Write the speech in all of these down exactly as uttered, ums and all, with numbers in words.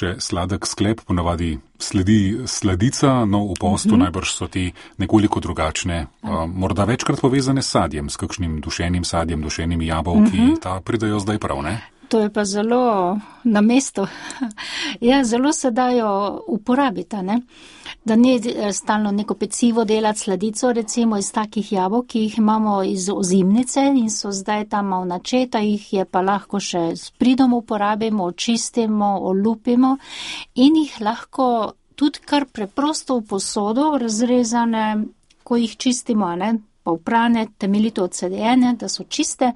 še sladek sklep, ponavadi sledi sladica, no v postu mm-hmm. najbrž so ti nekoliko drugačne, uh, morda večkrat povezane s sadjem, s kakšnim dušenim sadjem, dušenimi jabolki, mm-hmm. ta pridajo zdaj prav, ne? To je pa zelo na mestu. Ja, zelo se dajo uporabiti, ne? Da ni stalno neko pecivo delati sladico, recimo iz takih jabolk, ki jih imamo iz ozimnice in so zdaj tam malo načeta, jih je pa lahko še s pridom uporabimo, očistimo, olupimo in jih lahko tudi kar preprosto v posodo razrezane, ko jih čistimo, ne? Pa uprane, temeljito odsedene, da so čiste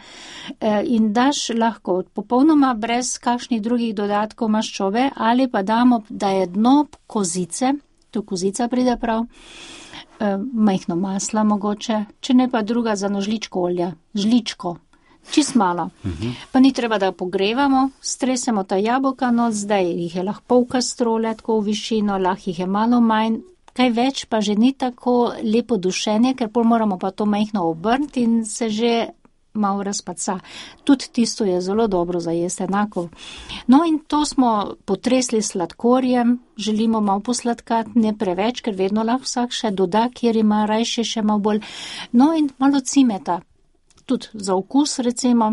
in daš lahko popolnoma brez kakšnih drugih dodatkov maščobe ali pa damo, da je dno kozice, tu kozica pride prav, majhno masla mogoče, če ne pa druga za eno žličko olja, žličko, čist malo. Uh-huh. Pa ni treba, da pogrevamo, stresemo ta jabolka, no zdaj jih je lahko pol kastrole, tako v višino, lahko jih je malo manj, kaj več pa že ni tako lepo dušenje, ker pol moramo pa to majhno obrniti in se že malo razpaca. Tudi tisto je zelo dobro za jesti, enako. No in to smo potresli sladkorjem, želimo malo posladkati, ne preveč, ker vedno lahko vsak še doda, kjer ima rajše še malo bolj. No in malo cimeta, tudi za okus recimo.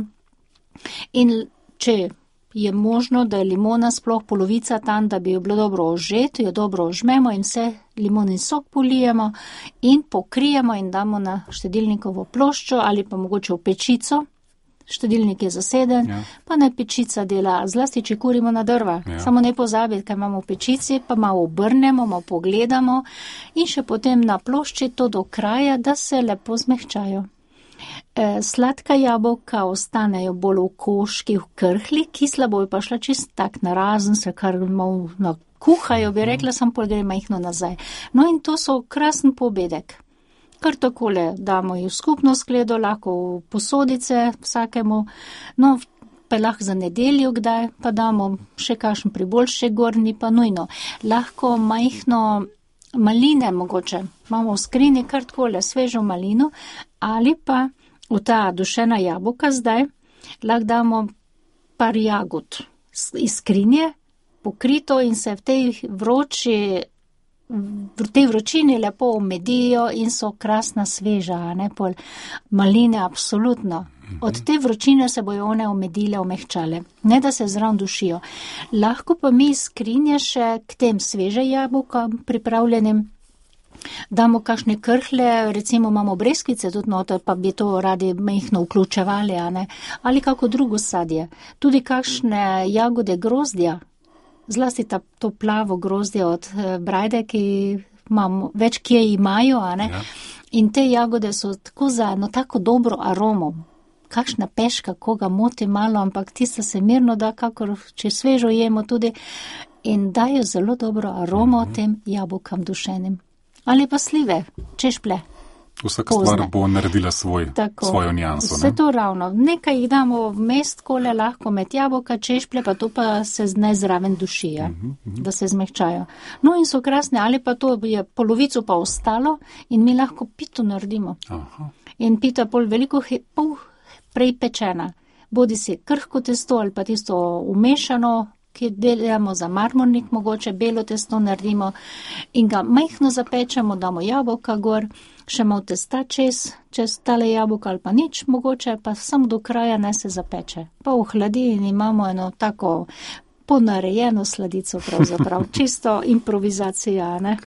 In če je možno, da je limona sploh polovica tam, da bi jo bilo dobro ožeti, jo dobro ožmemo in vse limonin sok polijemo in pokrijemo in damo na štedilnikovo ploščo ali pa mogoče v pečico. Štedilnik je zaseden, ja. Pa naj pečica dela, zlasti če kurimo na drva. Ja. Samo ne pozabiti, kaj imamo v pečici, pa malo obrnemo, malo pogledamo in še potem na plošči to do kraja, da se lepo zmehčajo. Sladka jabolka ostanejo bolj v koški, v krhli, kisla bojo pa šla čist tak narazen, se kar malo nakuhajo, bi rekla, sam pol gre majhno nazaj. No in to so krasen pobedek. Kar takole damo jih v skupno skledo, lahko v posodice vsakemu, no pa lahko za nedeljo kdaj, pa damo še kakšen priboljšek gornji, pa nujno. Lahko majhno maline mogoče, imamo v skrini kar takole svežo malino, ali pa v ta dušena jabolka zdaj lahko damo par jagod iz skrinje, pokrito in se v tej vroči, v tej vročini lepo omedijo in so krasna sveža, ne pol maline absolutno. Od te vročine se bojo one omedile, omehčale, ne da se zraven dušijo. Lahko pa mi iz skrinje še k tem sveže jabolka pripravljenim damo kakšne krhle, recimo imamo breskvice tudi noter, pa bi to radi majhno vključevali, a ne? Ali kako drugo sadje. Tudi kakšne jagode grozdja, zlasti ta, to plavo grozdje od brajde, ki imamo, več kje imajo, a ne? Ja. In te jagode so tako za eno tako dobro aromo. Kakšna peška, koga moti malo, ampak tista se mirno da, kakor če svežo jemo tudi, in dajo zelo dobro aromo mm-hmm. tem jabolkam dušenim. Ali pa slive, češplje. Vsaka stvar bo naredila svoj, svojo njanso. Vse to ravno. Nekaj jih damo v mest, kole lahko med jabolka, češplje, pa to pa se ne zraven dušija, uh-huh, uh-huh. da se zmehčajo. No in so krasne, ali pa to je polovico pa ostalo in mi lahko pito naredimo. Aha. In pita pol veliko, pol prej pečena. Bodi si krhko testo ali pa tisto umešano, ki delamo za marmornik, mogoče belo testo naredimo in ga majhno zapečemo, damo jabolka gor, še malo testa čez, čez tale jabolka ali pa nič, mogoče pa samo do kraja ne se zapeče. Pa v hladilni imamo eno tako ponarejeno sladico pravzaprav, čisto improvizacija, ne?